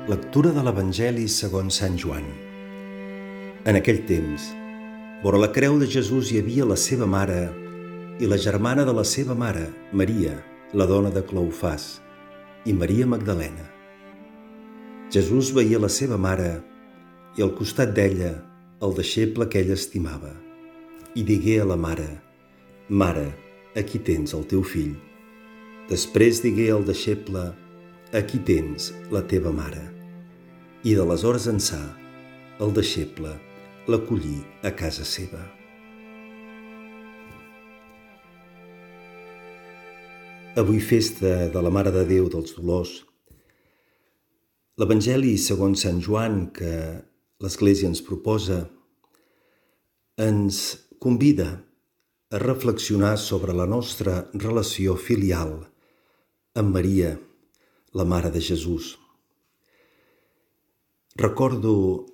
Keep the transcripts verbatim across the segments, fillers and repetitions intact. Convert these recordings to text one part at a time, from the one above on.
Lectura de l'Evangeli segons Sant Joan. En aquell temps, vora la creu de Jesús hi havia la seva mare i la germana de la seva mare, Maria, la dona de Cleofàs, i Maria Magdalena. Jesús veia la seva mare i al costat d'ella el deixeble que ella estimava, i digué a la mare: «Mare, aquí tens el teu fill». Després digué al deixeble: «Aquí tens la teva mare». I d'aleshores ençà, el deixeble l'acollí a casa seva. Avui, festa de la Mare de Déu dels Dolors, l'Evangeli segons Sant Joan que l'Església ens proposa ens convida a reflexionar sobre la nostra relació filial amb Maria, la Mare de Jesús. Recordo,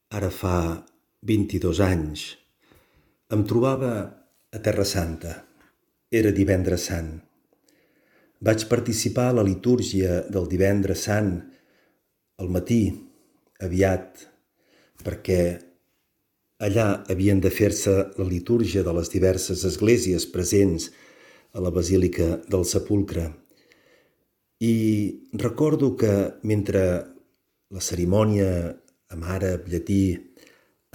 ara fa vint-i-dos anys, em trobava a Terra Santa. Era divendres sant. Vaig participar a la litúrgia del divendres sant al matí, aviat, perquè allà havien de fer-se la litúrgia de les diverses esglésies presents a la Basílica del Sepulcre. I recordo que mentre la cerimònia amb àrab, llatí,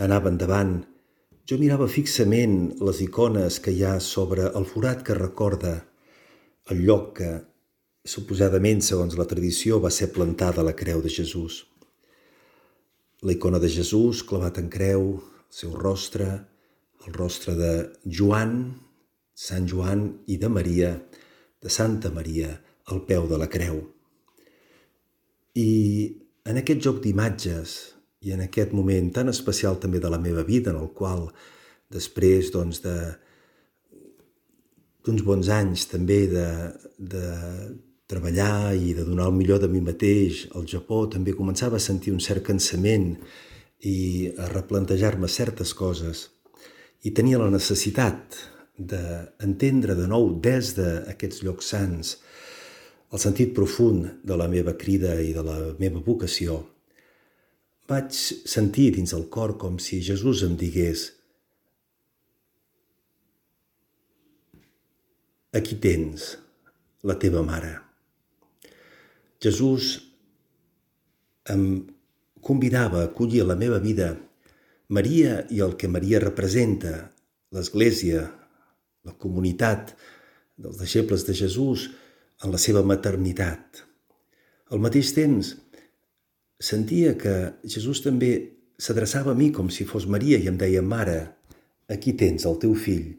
anava endavant, jo mirava fixament les icones que hi ha sobre el forat que recorda el lloc que, suposadament, segons la tradició, va ser plantada la creu de Jesús. La icona de Jesús clavat en creu, el seu rostre, el rostre de Joan, Sant Joan, i de Maria, de Santa Maria, al peu de la creu. I en aquest joc d'imatges i en aquest moment tan especial també de la meva vida, en el qual després doncs, de, d'uns bons anys també de, de treballar i de donar el millor de mi mateix al Japó, també començava a sentir un cert cansament i a replantejar-me certes coses. I tenia la necessitat d'entendre de nou des d'aquests llocs sants el sentit profund de la meva crida i de la meva vocació. Vaig sentir dins el cor com si Jesús em digués: «Aquí tens la teva mare». Jesús em convidava a acollir a la meva vida Maria i el que Maria representa, l'Església, la comunitat dels deixebles de Jesús, en la seva maternitat. Al mateix temps, sentia que Jesús també s'adreçava a mi com si fos Maria i em deia: «Mare, aquí tens el teu fill».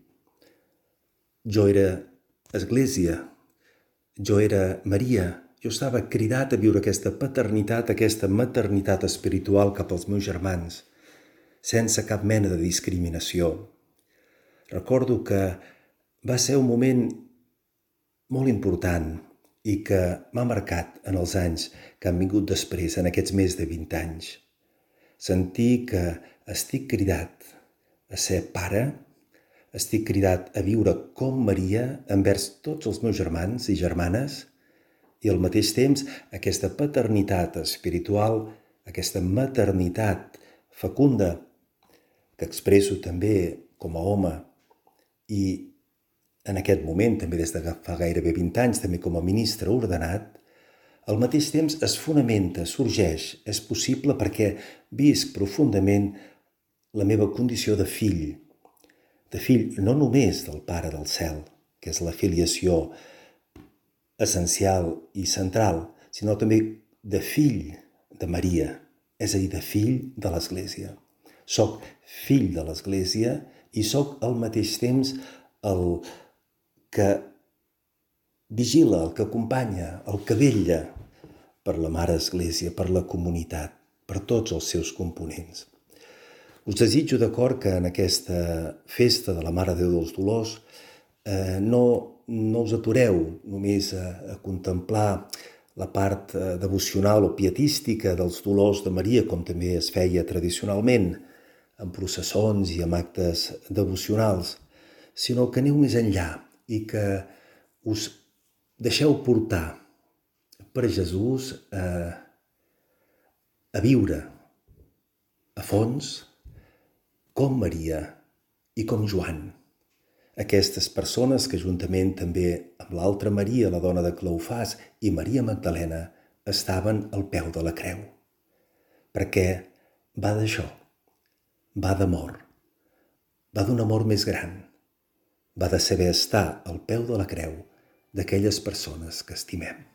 Jo era Església, jo era Maria, jo estava cridat a viure aquesta paternitat, aquesta maternitat espiritual cap als meus germans, sense cap mena de discriminació. Recordo que va ser un moment molt important i que m'ha marcat en els anys que han vingut després, en aquests més de vint anys. Sentir que estic cridat a ser pare, estic cridat a viure com Maria envers tots els meus germans i germanes, i al mateix temps aquesta paternitat espiritual, aquesta maternitat fecunda que expresso també com a home i en aquest moment, també des de fa gairebé vint anys, també com a ministre ordenat, al mateix temps es fonamenta, sorgeix, és possible perquè visc profundament la meva condició de fill, de fill no només del Pare del Cel, que és la filiació essencial i central, sinó també de fill de Maria, és a dir, de fill de l'Església. Soc fill de l'Església i soc al mateix temps el que vigila, el que acompanya, el que vetlla per la Mare Església, per la comunitat, per tots els seus components. Us desitjo de cor que en aquesta festa de la Mare de Déu dels Dolors eh, no, no us atureu només a, a contemplar la part eh, devocional o pietística dels dolors de Maria, com també es feia tradicionalment, en processons i amb actes devocionals, sinó que aneu més enllà i que us deixeu portar per Jesús eh, a viure a fons com Maria i com Joan. Aquestes persones que juntament també amb l'altra Maria, la dona de Cleofàs, i Maria Magdalena, estaven al peu de la creu. Perquè va d'això, va d'amor, va d'un amor més gran, va de saber estar al peu de la creu d'aquelles persones que estimem.